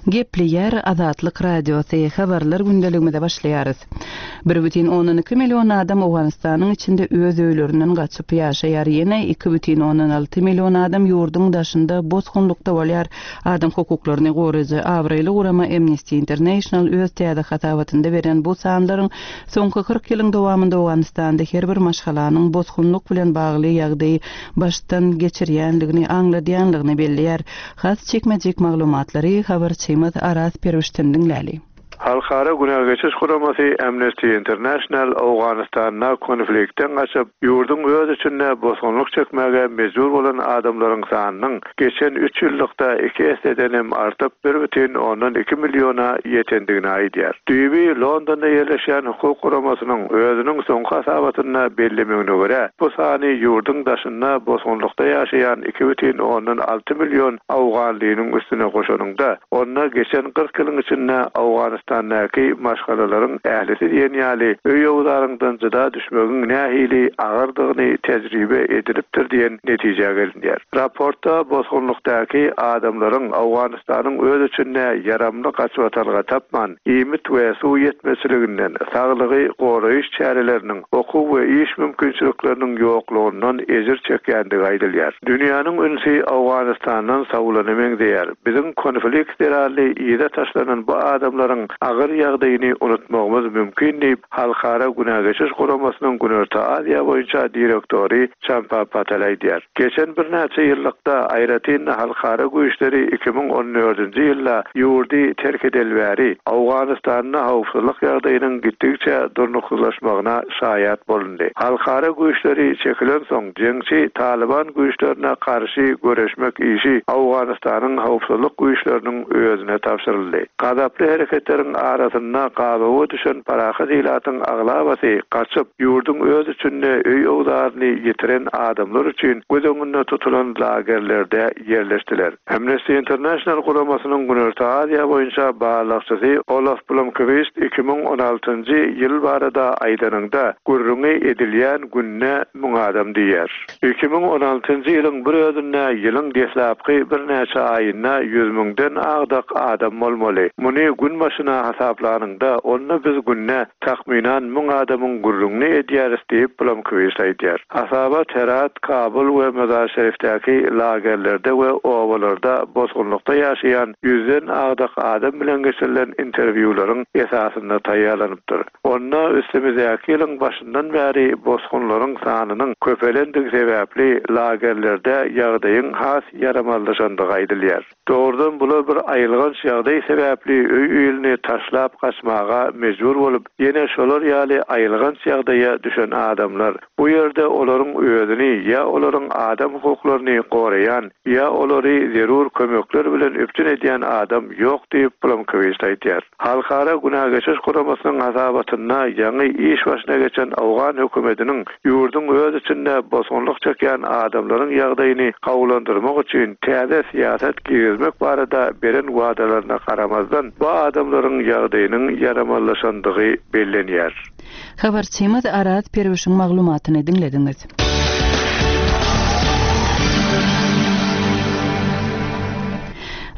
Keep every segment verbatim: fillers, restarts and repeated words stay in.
Gepleýär Azatlyk Radiosy, Habarlar gündeligimize başlaýarys. Bir bütin ondan iki million adam Owganystanyň içinde öz öýlerinden gaçyp ýaşaýar. Ýene iki bütin ondan alty million adam ýurduň daşynda bosgunlykda bolýar. Adam hukuklaryny goraýjy abraýly gurama Amnesty International öz täze hasabatynda beren bu sanlaryň soňky kyrk ýylyň dowamynda Owganystanda her bir maşgalanyň bosgunlyk bilen bagly ýagdaýy başdan geçirýänligini aňladýanlygyny belleýär. Has çekmejik maglumatlary habarçymyz Araz Perwişden diňläli. Halkara Günä Geçiş Guramasy Amnesty International Owganystanda konfliktden gaçyp, ýurduň öz içinde bosgunlyk çekmäge mejbur bolan adamlaryň sanynyň geçen üç ýyllykda iki esseden hem artyp bir bütin ondan iki milliona ýetendigini aýdýar. Düýbi Londonda ýerleşýän hukuk guramasynyň özüniň soňky hasabatynda bellemegine görä, bu sany ýurduň daşynda bosgunlykda ýaşaýan iki bütin ondan alty million Owganlynyň üstüne goşanynda, onda geçen kyrk ýylyň içinde Owganystandaky maşgalalaryň ählisi diýen ýaly öý owzaryňdan jyda düşmegiň nähili agyrdygyny tejribe edilipdir diýen netijä gelinýär. Raportda bosgunlykdaky adamlaryň Owganystanyň öz içinde ýaramly gaçybatalga tapman, iýmit we suw ýetmezçiliginden, saglygy goraýyş çäreleriniň, okuw we iş mümkinçilikleriniň ýoklugyndan ejir çekýändigi aýdylýar. Dünýäniň ünsi Owganystandan sawlana meňzeýär. Biziň konflikt zerarly ýere taşlanan bu adamlaryň agyr ýagdaýyny unutmagymyz mümkin diýip, Halkara Günä Geçiş Guramasynyň Günorta Aziýa boýunça direktory Champa Patel aýdýar. Geçen birnäçe ýyllykda aýratyn halkara güýçleri iki müň on dördünji ýylda ýurdy terk edelbäri Owganystanda howpsuzlyk ýagdaýynyň gitdikçe durnuksyzlaşmagyna şaýat bolundy. Halkara güýçleri çekilen soň jeňçi Taliban güýçlerine garşy göreşmek işi Owganystanyň howpsuzlyk güýçleriniň özüne tabşyryldy. Gazaply hereketleriň arasynda gabawa düşen parahat ilatyň aglabasy gaçyp ýurduň öz içinde öý owzaryny ýitiren adamlar üçin göz öňünde tutulan lagerlerde ýerleşdiler. Amnesty International guramasynyň Günorta Aziýa boýunça barlagçysy Olaf Blomqvist iki müň on altynjy ýyl barada aýdanynda gürrüňi edilýän günne müň adam diýer. Iki müň on altynjy ýylyň bir özünde ýylyň deslapky birnäçe aýynda ýüz müňden agdak adam bolmaly. Muny gün başyna hasaplanynda onda biz günne takmynan müň adamyň gürrüňini edýäris diýip Blomqvist aýdýar. Hasabat Herat, Kabul we Mazar-Şerifdäki lagerlerde we obalarda bosgunlykda ýaşaýan ýüzden agdak adam bilen geçirilen interwýularyň esasynda taýýarlanypdyr. Onda üstümizdäki ýylyň başyndan bäri bosgunlaryň sanynyň köpelendigi sebäpli lagerlerde ýagdaýyň has ýaramazlaşandygy aýdylýar. Dogrudan bular bir aýylganç ýagdaý sebäpli öý öýüni taşlap gaçmaga mejbur bolup, ýene şolar ýaly aýylganç ýagdaýa düşen adamlar. Bu ýerde olaryň özüni ýa olaryň adam hukuklaryny goraýan, ýa olary zerur kömekler bilen üpjün edýän adam ýok diýip Blomqvist aýdýar. Halkara Günä Geçiş Guramasynyň hasabatynda ýaňy iş başyna geçen Owgan hökümetiniň ýurduň öz içinde bosgunlyk çekýän adamlaryň ýagdaýyny gowulandyrmak üçin täze syýasat girizmek barada beren wadalaryna garamazdan bu adamlaryň ýagdaýynyň ýaramazlaşandygy bellenýär. Habarçymyz Araz Perwişiň maglumatyny diňlediňiz.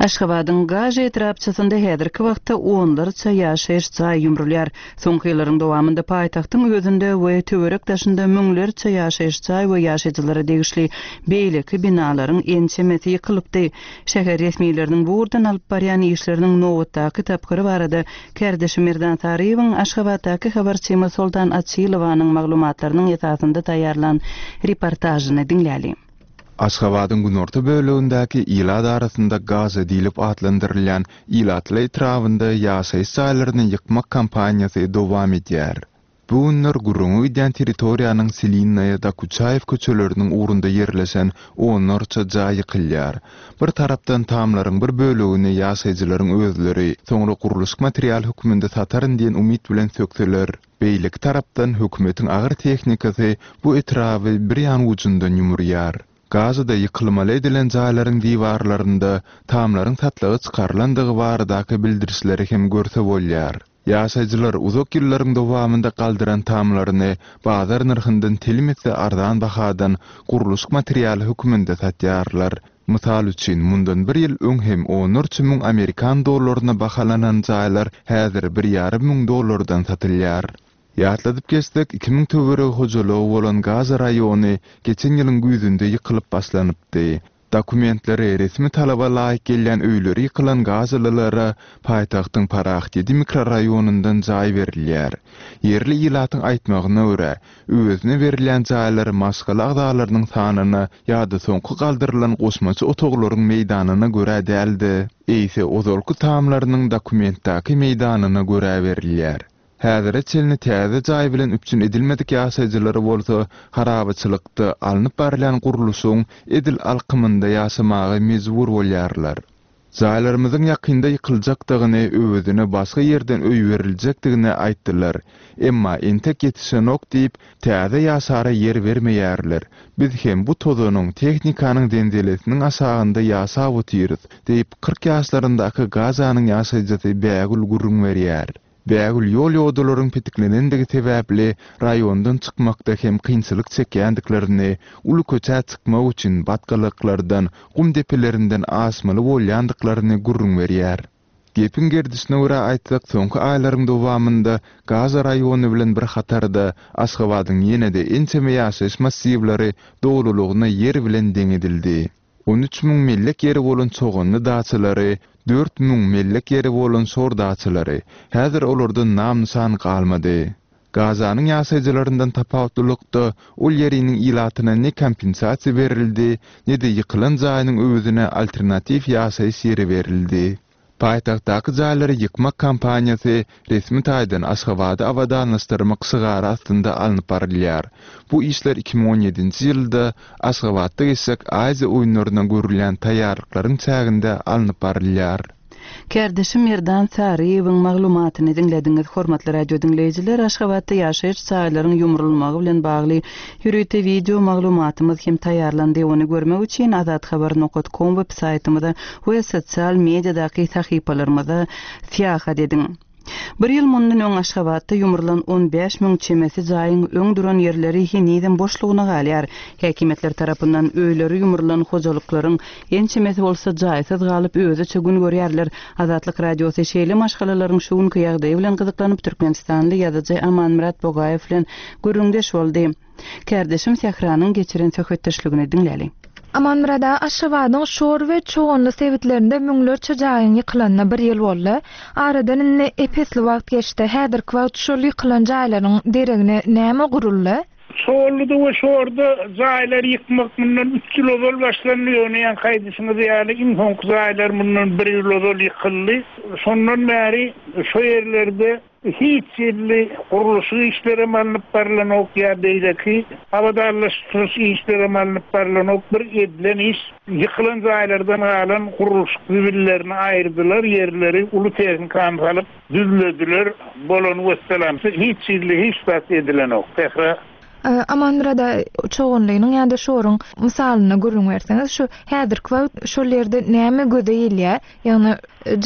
Aşgabadyň Gaž etrapçasynda häzirki wagtda onlarça ýaşaýyş jaý ýumrulýar. Soňky ýyllaryň dowamynda paýtagtyň özünde we töwerek daşynda müňlerçe ýaşaýyş jaý we ýaşaýjylara degişli beýleki binalaryň ençemesi ýykylypdy. Şäher resmileriniň bu ugurdan alyp barýan işleriniň nobatdaky tapgyry barada kärdeşi Merdan Saryýewiň Aşgabatdaky habarçymyz Soltan Açylowanyň maglumatlarynyň esasynda taýýarlan reportažyny diňläli. Aşgabadyň günorta bölegindäki ilat arasynda Gaza diýlip atlandyrylýan ilatly etrabynda ýaşaýyş jaýlaryny ýykmak kampaniýasy dowam edýär. Bu günler gürrüňi gidýän territoriýanyň Selinnaýa Dokuçaýew köçeleriniň ugrunda ýerleşen onlarça jaý ýykylýar. Bir tarapdan tamlaryň bir bölegini ýaşaýjylaryň özleri soňra gurluşyk material hökmünde sataryn diýen umyt bilen sökseler, beýleki tarapdan hökümetiň agyr tehnikasy bu etraby bir ýan ujundan ýumurýar. Gazada ýykylmaly edilen jaýlaryň diwarlarynda tamlaryň satlygy çykarylandygy baradaky bildirişleri hem görse bolýar. Ýaşaýjylar uzak ýyllaryň dowamynda galdyran tamlaryny bazar nyrhyndan telim etse arzan bahadan gurluşyk materialy hökmünde satýarlar. Mysal üçin, mundan bir ýyl öň hem onlarça müň amerikan dollaryna bahalanan jaýlar häzir bir ýarym müň dollardan satylýar. Ýatladyp geçsek, iki müň töweregi hojalygy bolan Gaza raýony geçen ýylyň güýzünde ýykylyp başlanypdy. Dokumentleri resmi talaba laýyk gelýän öýleri ýykylan gazalylara paýtagtyň Parahat ýedi mikroraýonyndan jaý berilýär. Ýerli ilatyň aýtmagyna görä, öwezine berilýän jaýlar maşgala agzalarynyň sanyna ýa-da soňky galdyrylan goşmaça otaglaryň meýdanyna görä däl-de, eýse ozalky tamlarynyň dokumentdäki meýdanyna görä berilýär. Häzire çenli täze jaý bilen üpjün edilmedik ýaşaýjylary bolsa harabaçylykda alnyp barylýan gurluşygyň edil alkymynda ýaşamaga mejbur bolýarlar. Jaýlarymyzyň ýakynda ýykyljakdygyny, öwezine başga ýerden öý beriljekdigini aýtdylar. Emma entek ýetişenok diýip, täze ýaşara ýer bermeýärler. Biz hem bu tozanyň, tehnikanyň zenzelesiniň aşagynda ýaşap otyrys, diýip kyrk ýaşlaryndaky Gazanyň ýaşaýjysy Bägül gürrüň berýär. Bägül ýol ýodalaryň petiklenendigi sebäpli raýondan çykmakda hem kynçylyk çekýändiklerini, uly köçä çykmak üçin batgalyklardan, gum depelerinden aşmaly bolýandyklaryny gürrüň berýär. Gepiň gerdişine görä aýtsak, soňky aýlaryň dowamynda Gaza raýony bilen bir hatarda Aşgabadyň ýene-de ençeme ýaşaýyş massiwleri dolulygyna ýer bilen deň edildi. On üç müň mellek ýeri bolan Çoganly daçalary, dört müň mellek ýeri bolan Şor daçalary, häzir olardan nam-nyşan galmady. Gazanyň ýaşaýjylaryndan tapawutlylykda ol ýeriniň ilatyna ne kompensasiýa berildi, ne-de ýykylan jaýynyň öwezine alternatiw ýaşaýyş ýeri berildi. Paýtagtdaky jaýlary ýykmak kampaniýasy resmi taýdan Aşgabady abadanlaşdyrmak şygary astynda alnyp barylýar. Bu işler iki müň on ýedinji ýylda Aşgabatda geçjek Aziýa oýunlaryna görülýän taýýarlyklaryň çäginde alnyp barylýar. Kärdeşim Merdan Saryýewiň maglumatyny diňlediňiz. Hormatly radio diňleýjiler, Aşgabatda ýaşaýyş jaýlaryň ýumrulmagy bilen bagly ýörite video maglumatymyz hem taýýarlandy. Ony görmek üçin azathabar nokta com web saýtymyza we sosial mediadaky sahypalarymyza syýahat ediň. Bir ýyl mundan öň Aşgabatda ýumrulan on bäş müň çemesi jaýyň öň duran ýerleri henizem boşlugyna galýar. Häkimiýetler tarapyndan öýleri ýumrulan hojalyklaryň ençemesi bolsa jaýsyz galyp özüçe gün görýärler. Azatlyk radiosy şeýle maşgalalaryň şu günki ýagdaýy bilen gyzyklanyp Türkmenistanly ýazyjy Amanmyrat Bogaýew bilen gürrüňdeş boldy. Kärdeşim Sähranyň geçiren söhbetdeşligini diňläli. Amanmyrada Aşgabadyň Şor we Çoganly sebitlerinde müňlerçe jaýyň ýykylanyna bir ýyl boldy. Aradan indi epesli wagt geçdi. Häzirki wagt şol ýykylan jaýlaryň deregine näme guruldy? Çoganlyda we Şorda jaýlar ýykmak mundan üç ýyl ozal başlandy. Ýöne ýan haýdyşyňyz ýaly iň soňky jaýlar mundan bir ýyl ozal ýykyldy. Şondan bäri şu ýerlerde hiç ýerli gurluşyk işleri alnyp barlanok ýa beýleki abadanlaşdyryş işleri alnyp barlanok. Bir edilen iş ýykylan jaýlardan galan gurluşyk zibillerini aýyrdylar, ýerleri uly tehnikany salyp düzlediler. Bolan wesselam hiç ýerli hiç zat edilenok. Sähra Amanmyrada Çoganlynyň ýa-da Şoruň mysalyny gürrüň berseňiz, şu häzirki wagt şol ýerde näme göze gelýär? Ýagny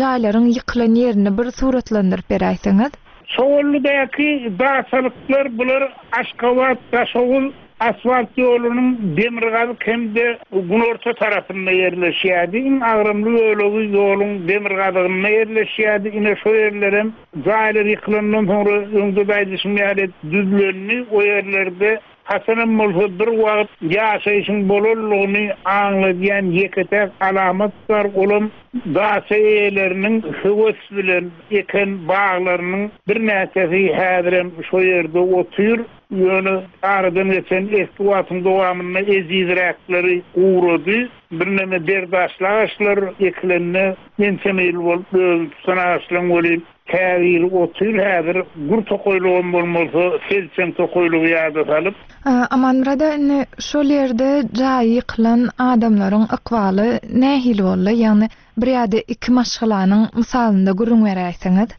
jaýlaryň ýykylan ýerini bir suratlandyryp beräýseňiz. Çoganlydaky daçalyklar bular Aşgabat, Daşoguz asfalt ýolunyň demirgazyk hem-de günorta tarapynda ýerleşýärdi. Iň agramly bölegi ýoluň demirgazygynda ýerleşýärdi. Ine şu ýerlerem jaýlar ýykylandan soňra öňde daýdyşym ýaly düzlendi. O ýerlerde haçanam bolsa bir wagt ýaşaýşyň bolanlygyny aňladýan ýeke-täk alamat bar. Olam daça eýeleriniň höwes bilen eken baglarynyň birnäçesi häzirem şu ýerde otyr. Ýöne aradan geçen eski wagtyň dowamynda ejizräkleri ugrady. Birneme berdaşly agaçlar ekilende ençeme ýyl bolup özüni tutan agaçlaryň welin käbiri otyr häzir gür tokaýlygam bolmasa selçeň tokaýlygy ýada salyp. Amanmyrada indi şol ýerde jaýy ýykylan adamlaryň ykbaly nähili boldy? Ýagny bir ýa-da iki maşgalanyň mysalynda gürrüň beräýseňiz.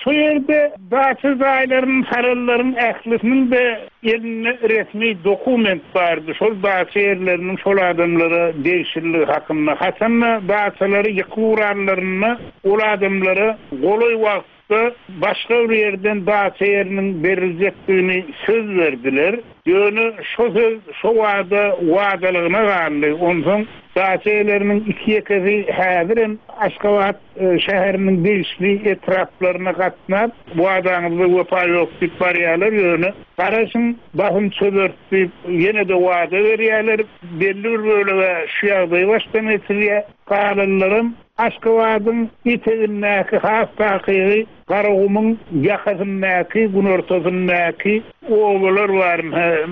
Şu ýerde daça jaýlaryň, sarallaryň ählisiniň de elinde resmi dokument bardy. Şol daça ýerleriniň şol adamlara degişliligi hakynda. Haçanda daçalary ýykyp uranlarynda ol adamlara golaý wagt wagtda başga bir ýerden daça ýeriniň beriljekdigini söz berdiler. Ýöne şo söz şo wada wadalygyna galdy. Onsoň daça ýerleriniň iki ýekesi häzirem Aşgabat şäheriniň degişli etraplaryna gatnap, wadaňyzda wepa ýok diýip barýarlar. Ýöne garaşyň basym çözert diýip ýene-de wada berýärler. Belli bir bölege şu ýagdaý başdan geçirýär. Galanlaram Aşgabadyň etegindäki has takygy Garagumuň ýakasyndaky, günortasyndaky obalar bar.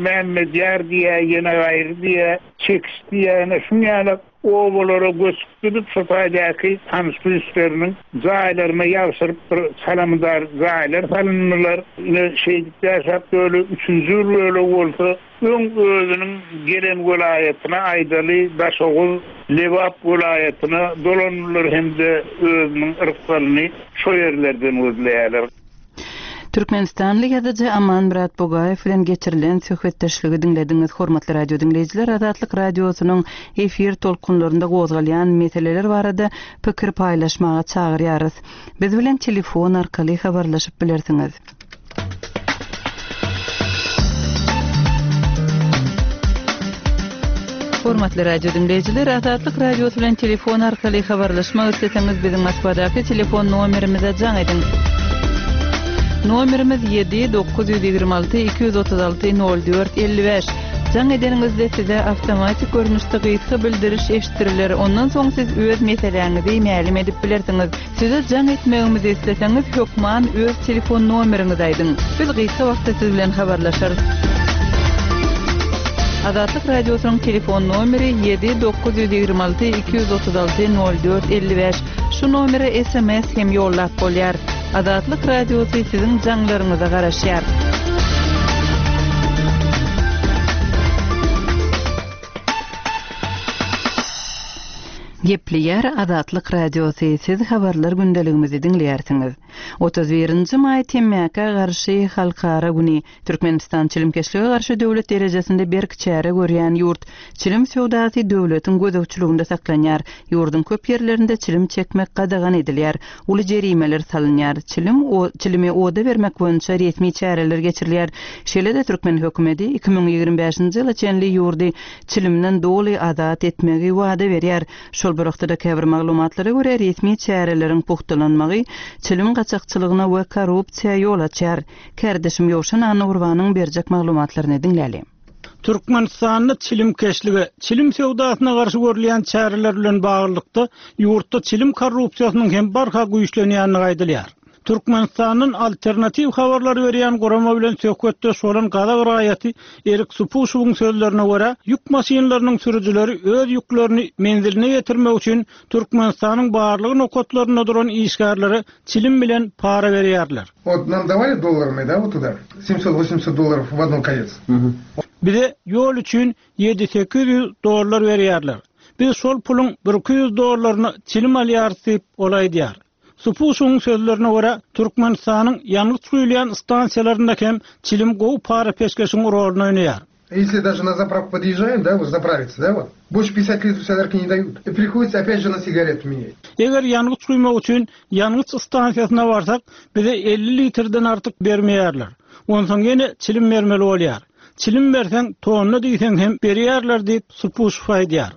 Mämmedýar diýä, ýene gaýry diýä, Çekiş diýä, ýene şuň ýaly obalara göçüp gidip şu taýdaky tanyş bilişleriniň jaýlaryna ýagşyryp bir çalamdar jaýlar salyndylar. Ine şeýdip ýaşap böyle üçünji bir bölegi bolsa öň özüniň gelen welaýatyna aýdaly Daşoguz, Lebap welaýatyna dolandylar hem-de özüniň yrkgalyny şo ýerlerden gözleýärler. Türkmenistanly ýazyjy Amanmyrat Bugaýew bilen geçirilen söhbetdeşligi diňlediňiz. Hormatly radio diňleýjiler, Azatlyk radiosynyň efir tolkunlarynda gozgalýan meseleler barada pikir paýlaşmaga çagyrýarys. Biz bilen telefon arkaly habarlaşyp bilersiňiz. Hormatly radio diňleýjiler, Azatlyk radiosy bilen telefon arkaly habarlaşmak isleseňiz biziň Moskwadaky telefon nomerimize jaň ediň. Nomerimiz ýedi dokuz ýüz ýigrimi alty iki ýüz otuz alty nol dört elli bäş. Jaň edeniňizde size awtomatik görnüşde gysga bildiriş eşitdiriler. Ondan soň siz öz meseläňizi mälim edip bilersiňiz. Size jaň etmegimizi isleseňiz hökman öz telefon nomeriňizi aýdyň. Biz gysga wagtda siz bilen habarlaşarys. Azatlyk radiosynyň telefon nomeri ýedi dokuz ýüz ýigrimi alty iki ýüz otuz alty nol dört elli bäş. Şu nomere S M S hem ýollap bolýar. Azatlyk radiosy siziň jaňlaryňyza garaşýar. Gepleýär Azatlyk radiosy, siz habarlar gündeligimizi diňleýärsiňiz. Otuz birinji maý temmäkä garşy halkara güni. Türkmenistan çilimkeşlige garşy döwlet derejesinde berk çäre görýän ýurt. Çilim söwdasy döwletiň gözegçiliginde saklanýar. Ýurduň köp ýerlerinde çilim çekmek gadagan edilýär. Uly jerimeler salynýar. Çilim o, çilimi oda bermek boýunça resmi çäreler geçirilýär. Şeýle-de Türkmen hökümeti iki müň ýigrimi bäşinji ýyla çenli ýurdy çilimden doly azat etmegi wada berýär. Şol bir wagtda käbir maglumatlara görä resmi çäreleriň puhtalanmagy çilim gaçakçylygyna we korrupsiýa ýol açar. Kärdeşim Ýowşan Annagurbanyň berjek maglumatlaryny diňläli. Türkmenistanda çilimkeşlige, çilim söwdasyna garşy görülýän çäreler bilen baglylykda ýurtda çilim korrupsiýasynyň hem barha güýçlenýänligi aýdylýar. Türkmenistandan alternatiw habarlar berýän gurama bilen söhbetdeş bolan gazak raýaty Erik Supuşowyň sözlerine görä, ýük maşynlarynyň sürüjileri öz ýüklerini menziline getirmek üçin Türkmenistanyň barlyk nokatlarynda duran işgärlere çilim bilen para berýärler. Вот нам давали долларами, да, вот туда, семьсот-восемьсот долларов в одном конец. Bize ýol üçin ýedi sekiz ýüz dollar berýärler. Biz şol puluň bir iki ýüz dollaryny çilim alýarys diýip ol aýdýar. Supuşowyň sözlerine görä, Türkmenistanyň ýangyç guýulýan stansiýalarynda hem çilim gowy para peşgeşiň roluny oýnaýar. Если даже на заправку подъезжаем, да, вот заправиться, да, вот, больше пятьдесят литров солярки не дают. И приходится опять же на сигарету менять. Eger ýangyç guýmak üçin ýangyç stansiýasyna barsak, bize elli litrden artyk bermeýärler. Onsoň ýene çilim bermeli bolýar. Çilim berseň, tonna diýseň hem berýärler diýip Supuşow aýdýar.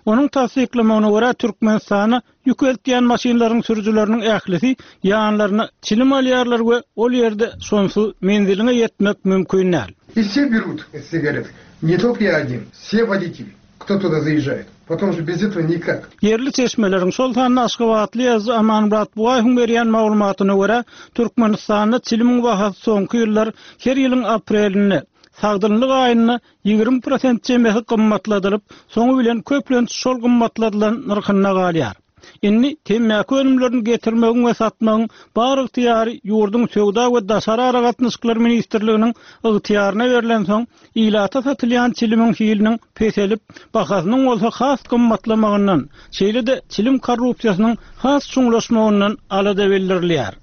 Onuň tassyklamagyna görä Türkmenistana ýük eltýän maşynlaryň sürüjileriniň ählisi ýanlaryna çilim alýarlar we ol ýerde sonsuz menziline ýetmek mümkin däl. И все берут сигареты. Не только я один, все водители, кто туда заезжает. Потом же без этого никак. Ýerli çeşmeleriň şol sanda Aşgabatly ýazyjy Amanmyrat Bugaýewiň berýän maglumatyna görä, Türkmenistanda çilimiň bahasy soňky ýyllar her ýylyň aprelinde sagdynlyk aýynda ýigrimi prosent çemesi gymmatladylyp, soňy bilen köplenç şol gymmatladylan nyrhyna galýar. Indi temmäki önümlerini getirmegiň we satmagyň bar ygtyýary ýurduň söwda we daşary aragatnaşyklar ministrliginiň ygtyýaryna berlen soň ilata satylýan çilimiň hiliniň peselip, bahasynyň bolsa has gymmatlamagyndan, şeýle-de çilim korrupsiýasynyň has çuňlaşmagyndan alada bildirilýär.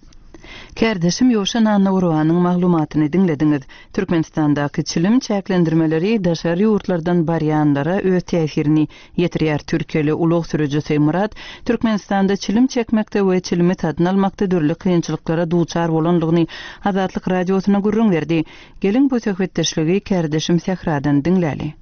Kärdeşim Ýowşan Annagurbanyň maglumatyny diňlediňiz. Türkmenistandaky çilim çäklendirmeleri daşary ýurtlardan barýanlara öz täsirini ýetirýär. Türkiýeli ulag sürüjisi Murat Türkmenistanda çilim çekmekde we çilimi satyn almakda dürli kynçylyklara duçar bolandygyny Azatlyk Radiosyna gürrüň berdi. Geliň bu söhbetdeşligi kärdeşim Sähradan diňläli.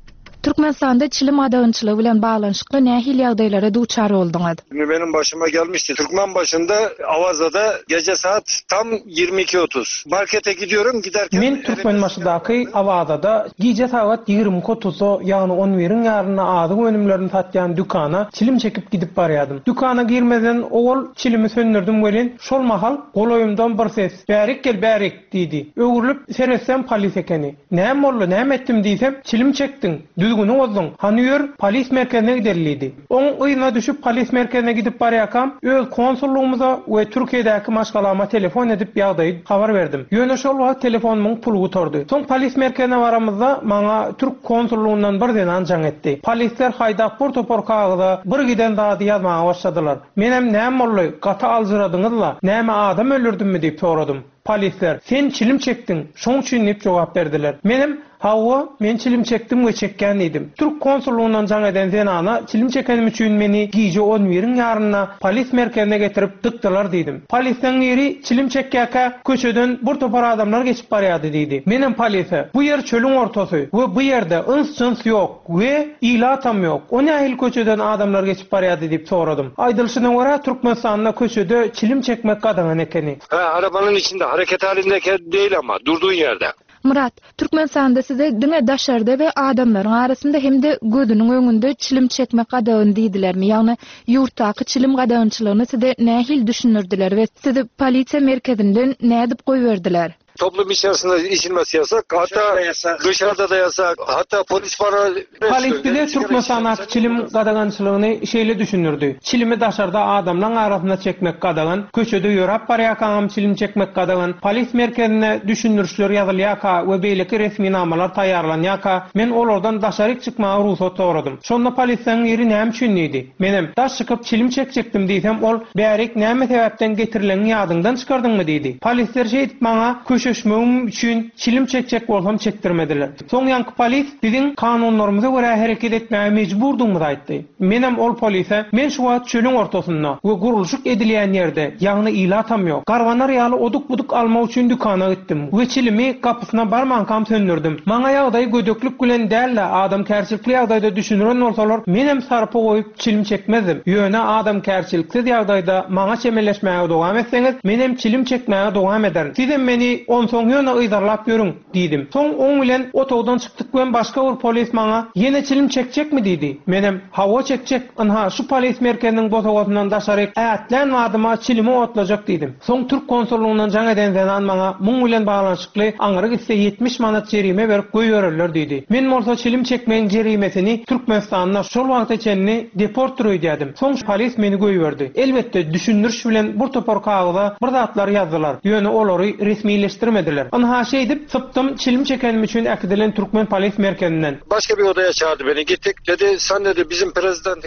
Türkmenistanda çilim gadagançylygy bilen baglanyşykly nähili ýagdaýlara duçar bolduňyz? Benim başıma gelmişti. Türkmenbaşı'nda Avaza'da gece saat tam ýigrimi iki otuz. Markete gidiyorum, giderken Men Türkmenbaşydaky Awazada gije sagat ýigrimi iki otuzda, ýagny on biriň ýarynda azyk önümlerini satýan dükana çilim çekip gidip barýardym. Dükana girmeden owal çilimi söndürdüm welin, şol mahal golaýymdan bir ses, "Bärik gel, bärik" diýdi. Öwrülip seretsem polis ekeni. Näme boldy, näme etdim diýsem, çilim çekdiň, düzgüni bozduň. Hany ýör, polis merkezine gideli diýdi. Oň yzyna düşüp polis merkezine gidip barýarkam, öz konsullugymyza we Türkiýedäki maşgalama telefon edip ýagdaýy habar berdim. Ýöne şol wagt telefonumyň puly gutardy. Soň polis merkezine baramyzda maňa Türk konsullugyndan bir zenan jaň etdi. Polisler haýdap bir topar kagyza bir giden zady ýazmaga başladylar. Menem näme boldy, gaty aljyradyňyzla, näme adam öldürdimmi diýip soradym. Polisler, sen çilim çekdiň, şoň üçin diýip jogap berdiler. Menem, hawa, men çilim çekdim we çekýän diýdim. Türk konsullugyndan jaň eden zenana çilim çekenim üçin meni gije on biriň ýarynda polis merkezine getirip dykdylar diýdim. Polisden biri çilim çekýärkä köçeden bir topar adamlar geçip barýardy diýdi. Menem polise, bu ýer çölüň ortasy we bu ýerde yns-jyns ýok we ilatam ýok. O nähili köçeden adamlar geçip barýardy diýip soradym. Aýdylyşyna görä Türkmenistanda köçede çilim çekmek gadagan ekeni. Ha, arabanın içinde hareket halindeki değil ama durduğun yerde. Murat, Türkmenistanda size diňe daşarda we adamlaryň arasynda hem de gözüniň öňünde çilim çekmek gadagan diýdilermi? Ýagny ýurtdaky çilim gadagançylygyny size nähili düşündirdiler we sizi polisiýa merkezinden nädip goýberdiler? Toplum içerisinde içilmesi yasak, hatta Dışarıda yasak. dışarıda da yasak, hatta polis bana Polis bize Türkmenistandaky çilim gadagançylygyny şeýle düşündirdi. Çilimi daşarda adamlaryň arasynda çekmek gadagan, köçede ýöräp barýarkaňam çilim çekmek gadagan, polis merkezine düşündirişler ýazylýarka we beýleki resminamalar taýýarlanýarka, men olardan daşaryk çykmaga rugsat soradym. Şonda polisden biri näme üçin diýdi. Menem daş çykyp çilim çekjekdim diýsem, ol bärik näme sebäpden getirilenini ýadyňdan çykardyňmy diýdi. Polisler şeýdip maňa köşeşmegim üçin çilim çekjek bolsam çekdirmediler. Soň ýanky polis biziň kanunlarymyza görä hereket etmäge mejburdugymyzy aýtdy. Menem ol polise, men şu wagt çölüň ortasynda we gurluşyk edilýän ýerde, ýagny ilatam ýok. Garbanar ýaly oduk-buduk almak üçin dükana gitdim we çilimi gapysyna barmankam söndürdüm. Maňa ýagdaýy gödeklik bilen däl-de adamkärçilikli ýagdaýda düşündiren bolsalar, menem sarpy goýup çilim çekmezdim. Ýöne adamkärçiliksiz ýagdaýda maňa çemeleşmäge dowam etseňiz, menem çilim çekmäge dowam ederim. Sizem meni onsoň ýöne yzarlap ýörüň diýdim. Soň oň bilen otagdan çykdyk we başga bir polis maňa ýene çilim çekjekmi diýdi. Menem hawa çekjek, ynha şu polis merkeziniň bosagasyndan daşary ätlän wadyma çilimi otlajak diýdim. Soň Türk konsullugyndan jaň eden zenan maňa muň bilen baglanyşykly aňry gitse ýetmiş manat jerime berip goýbererler diýdi. Men bolsa çilim çekmegiň jerimesini Türkmenistanda şol wagta çenli deportdyr öýdýärdim. Soň polis meni goýberdi. Elbetde düşündiriş bilen bir topar kagyza bir zatlar ýazdylar. Ýöne olary resmileşdirmediler. Ynha şeýdip sypdym çilim çekenim üçin äkidilen Türkmen polis merkezinden. Başka bir odaya çağırdı beni. Gittik dedi sen dedi bizim prezident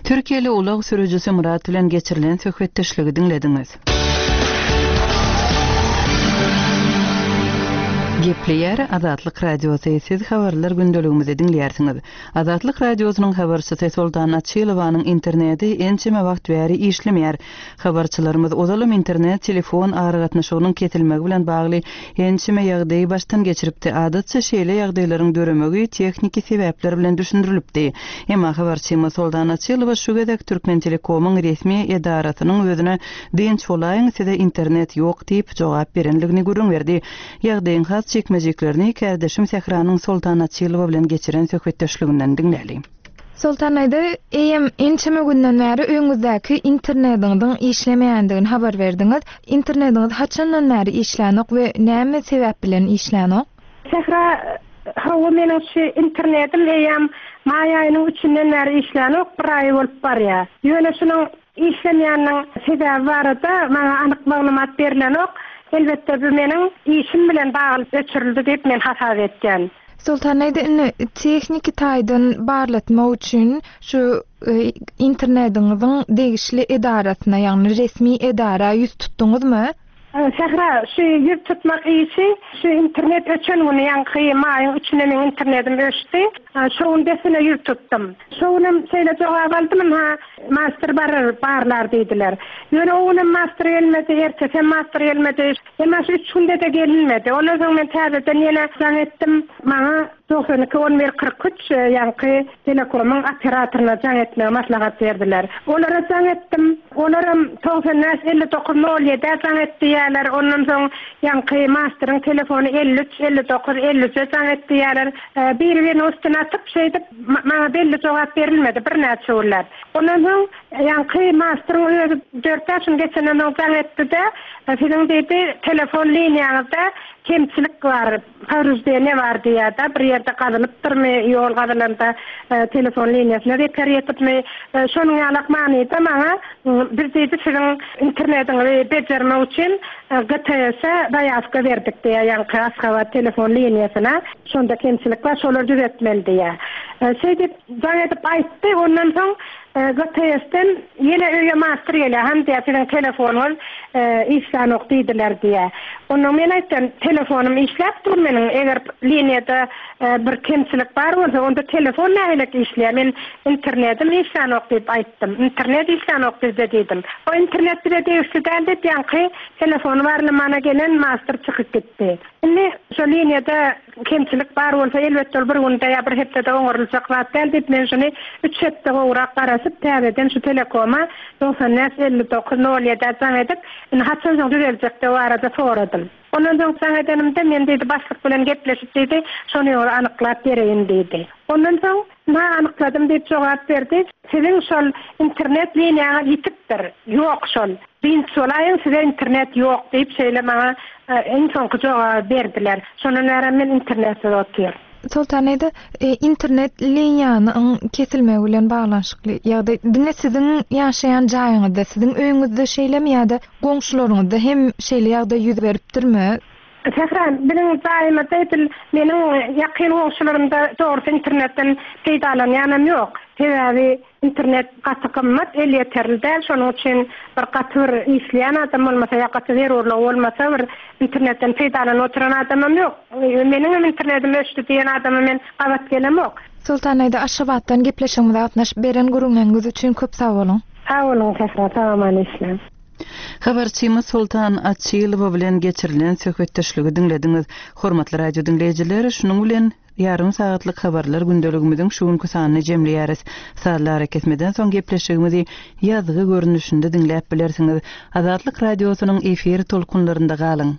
Türkiýeli ulag sürüjisi Murat bilen geçirilen söhbetdeşligi diňlediňiz. Gepleýär Azatlyk Radiosy, siz habarlar gündeligimizi diňleýärsiňiz. Azatlyk Radiosynyň habarçysy Soltan Açylowanyň interneti ençeme wagt bäri işlemeýär. Habarçylarymyz ozalym internet telefon aragatnaşygynyň kesilmegi bilen bagly ençeme ýagdaýy başdan geçiripdi. Adatça şeýle ýagdaýlaryň döremegi tehniki sebäpler bilen düşündirilipdi. Emma habarçymyz Soltan Açylowa şu gezek Türkmen Telekomyň resmi edarasynyň özüne dynç bolaýyň size internet ýok diýip jogap berenligini gürrüň berdi. Ýagdaýyň has çekmejeklerini kärdeşim Sähranyň Soltan Açylowa bilen geçiren söhbetdeşliginden diňläli. Soltan aýda, eýem ençeme günden bäri öňüňizdäki internetiňiziň işlemeýändigini habar berdiňiz. Internetiňiz haçandan bäri işlänok we näme sebäp bilen işlänok? Sähra, hawa meniň şu internetim eýem maý aýynyň üçünden bäri işlänok, bir aý bolup barýar. Ýöne şunuň işlemeýäniniň sebäbi barada maňa anyk maglumat berilenok. Elbetde bu meniň işim bilen bagly öçürildi diýip men hasap etýän. Soltan aýda, indi tehniki taýdan barlatmak üçin şu, e, internetiňiziň degişli edarasyna, ýagny resmi edara ýüz tutduňyzmy? Sähra, şu ýüz tutmak işi, şu internet öçen güni, ýaňky maýyň üçüne meň internetim öçdi. Şo gün dessine ýüz tutdum. Şo günem şeýle jogap aldym, ha, master barar, barlar diýdiler. Ýöne o günem master gelmedi, ertesem master gelmedi. Emma şu üç günde de gelinmedi. Ondan soň men täzeden ýene jaň etdim. Maňa doksan iki on bir kyrk üç ýaňky Telekomyň operatoryna jaň etmegi maslahat berdiler. Olara jaň etdim. Olaram togsan bäş elli dokuz nol ýedä jaň et diýýärler. Ondan soň ýaňky masteryň telefony elli üç elli dokuz elli üçe jaň et diýýärler. Biri-biriniň üstüne atyp şeýdip maňa belli jogap berilmedi birnäçe günläp. Ondan soň ýaňky masteryň özi dört bäş gün geçenden soň jaň etdi-de, siziň diýdi, telefon liniýaňyzda kemçilik bar, powreždeniýe bar diýýär-de, bir ýerde gazylypdyrmy, ýol gazylanda telefon liniýasyna zeper ýetipmi, şonuň ýalak manyda maňa biz diýdi, siziň internetiňizi bejermek üçin G T S-e zaýawka berdik diýýär, ýaňky Aşgabat telefon liniýasyna. Şonda kemçilik bar, şolar düzetmeli diýýär. Şeýdip jaň edip aýtdy, ondan soň G T S-den ýene öýe master gelýär, hem diýýär, siziň telefonyňyz işlänok diýdiler diýýär. Ondan men aýtdym, telefonym işläp dur meniň, eger liniýada bir kemçilik bar bolsa, onda telefon nähili işleýär, men internetim işlänok diýip aýtdym. Internet işlänok bizde diýdim. O internet bize degişli däl diýip, ýaňky telefony barlamana gelen master çykyp gitdi. Indi şo liniýada kemçilik bar bolsa, elbetde ol bir günde ýa bir hepdede oňaryljak zat däl diýip, men şuny üç hepde gowrak garaşyp, täzeden şu Telekoma doksan bäş elli dokuz nol ýedä jaň edip, indi haçan soň düzeljek diýip arada soradym. Ondan soň jaň edenimde men diýdi, başlyk bilen gepleşip diýdi, şony ýoly anyklap bereýin diýdi. Ondan soň na anykladym diýip jogap berdi. Siziň şol internet liniýaňyz ýitipdir. Ýok şol. Dynç bolaýyň, size internet ýok diýip şeýle maňa iň soňky jogaby berdiler. Şondan bäri men internetsiz otyr. Soltan aýda, internet liniýanyň kesilmegi bilen baglanyşykly ýagdaý diňe siziň ýaşaýan jaýyňyzda, siziň öýüňizde şeýlemi ýa-da goňşularyňyzda hem şeýle ýagdaý ýüz beripdirmi? Sähra, biziň jaýymyzda edil meniň ýakyn goňşularymda dogrusu internetden peýdalanýanam ýok. Sebäbi internet gaty gymmat, elýeterli däl. Şonuň üçin bir gaty bir işleýän adam bolmasa ýa gaty zerurlygy bolmasa bir internetden peýdalanyp oturan adamam ýok. Meniň hem internetim öçdi diýen adama men gabat gelemok. Soltan aýda, Aşgabatdan gepleşigimize gatnaşyp beren gürrüňleriňiz üçin köp sag boluň. Sag boluň, Sähra, sag aman işläň. Habarçymyz Soltan Açylowa bilen geçirilen söhbetdeşligi diňlediňiz. Hormatly radio diňleýjiler, şunuň bilen ýarym sagatlyk habarlar gündeligimiziň şu günki sanyny jemleýäris. Sazlar kesmeden soň gepleşigimizi ýazgy görnüşinde diňläp bilersiňiz. Azatlyk radiosynyň efir tolkunlarynda galyň.